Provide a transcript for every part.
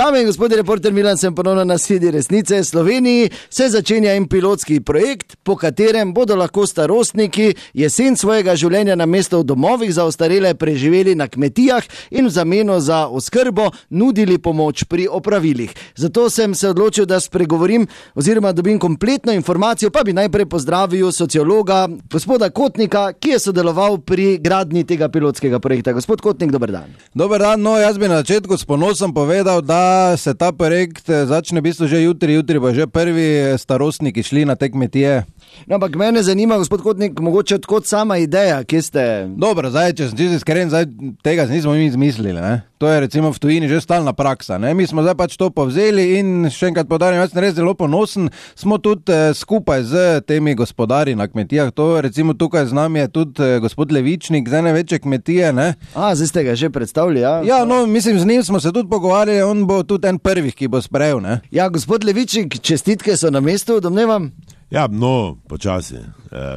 Dame in gospodje, reporter Milan sem ponovno na Sedi resnice. Sloveniji se začenja en pilotski projekt, po katerem bodo lahko starostniki jesen svojega življenja namesto v domovih za ostarele preživeli na kmetijah in v zameno za oskrbo nudili pomoč pri opravilih. Zato sem se odločil, da spregovorim oziroma dobim kompletno informacijo, pa bi najprej pozdravil sociologa gospoda Kotnika, ki je sodeloval pri gradnji tega pilotskega projekta. Gospod Kotnik, dober dan. Dober dan, no jaz bi na začetku s ponosom povedal, da se ta projekt začne v bistvu že jutri bo že prvi starostniki šli na te kmetije. No, ampak mene zanima, gospod Kotnik, mogoče odkot sama ideja, kje ste... Dobro, zdaj, če sem čisto iskren, tega nismo mi izmislili, ne? To je recimo v tujini že stalna praksa, ne? Mi smo zdaj pač to povzeli in še enkrat podarim, jaz sem res zelo ponosen, smo tudi skupaj z temi gospodari na kmetijah, to recimo tukaj z nami je tudi gospod Levičnik z ene večje kmetije, ne? Zdaj ste ga že predstavili, ja? Ja, no, mislim, z njim smo se tudi pogovarjali, on bo tudi en prvih, ki bo sprejel, ne? Ja, gospod Levičnik, čestitke so na mestu, domnevam? Ja, no, počasi,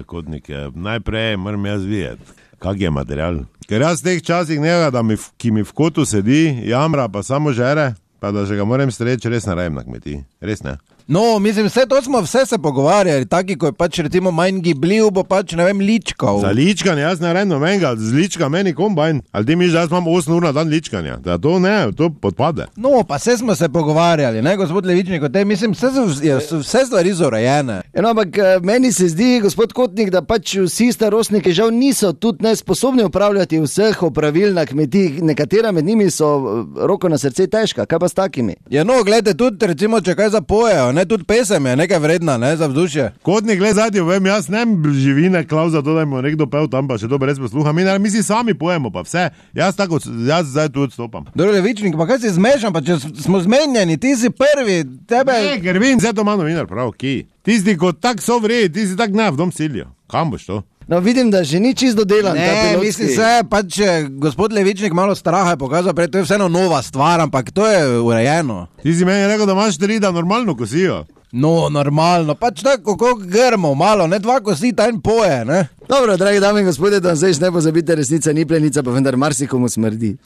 Kotnik, najprej moram jaz videti, kak je material. Ker jaz v teh časih njega, ki mi v kotu sedi, jamra, pa samo žere, pa da že ga moram streči, res narejem na kmetiji, res ne. No, mislim, vse se pogovarjali, taki, ko je pač recimo manj gibljiv, bo pač, ne vem, ličkal. Za ličkanje, jaz ne rejno menga, z lička meni kombajn, ali ti miš, da jaz imam 8 ur na dan ličkanja, da to ne, to podpade. No, pa vse smo se pogovarjali, ne, gospod Levičnik, mislim, vse stvari so urejene. No, ampak meni se zdi, gospod Kotnik, da pač vsi starostniki žal niso tudi nesposobni upravljati vseh opravil na kmetijih, nekatera med njimi so roko na srce težka, kaj pa s takimi? Ja, no, gledajte, tudi recimo, če kaj zapojejo, ne, tudi pesem je nekaj vredna, ne, za vzdušje. Kotnik, gled zadnji, vem, jaz ne živine klav za to, da ima nekdo pel tam, pa še to brez posluha, mi si sami pojemo, pa vse, jaz zdaj tu odstopam. Dobro, Levičnik, pa kaj si zmešan, pa če smo zmenjeni, ti si prvi, tebe... Ne, ker vim, zdaj to ima novinar prav, ki? Tisti, ko tak so vredi, ti si tak ne, v dom silijo. Kam boš to? No, vidim, da že ni čisto dodelan. Ne, mislim se, pač gospod Levičnik malo straha je pokazal, prej to je vseeno nova stvar, ampak to je urejeno. Ti si meni rekel, da imaš 3, da normalno kosijo. No, normalno, pač tako kot grmo, malo, ne 2 kosi, ta en poje, ne. Dobro, dragi dame in gospodje, da zdaj ne pozabite, resnica ni plenica, pa vendar marsikomu smrdi.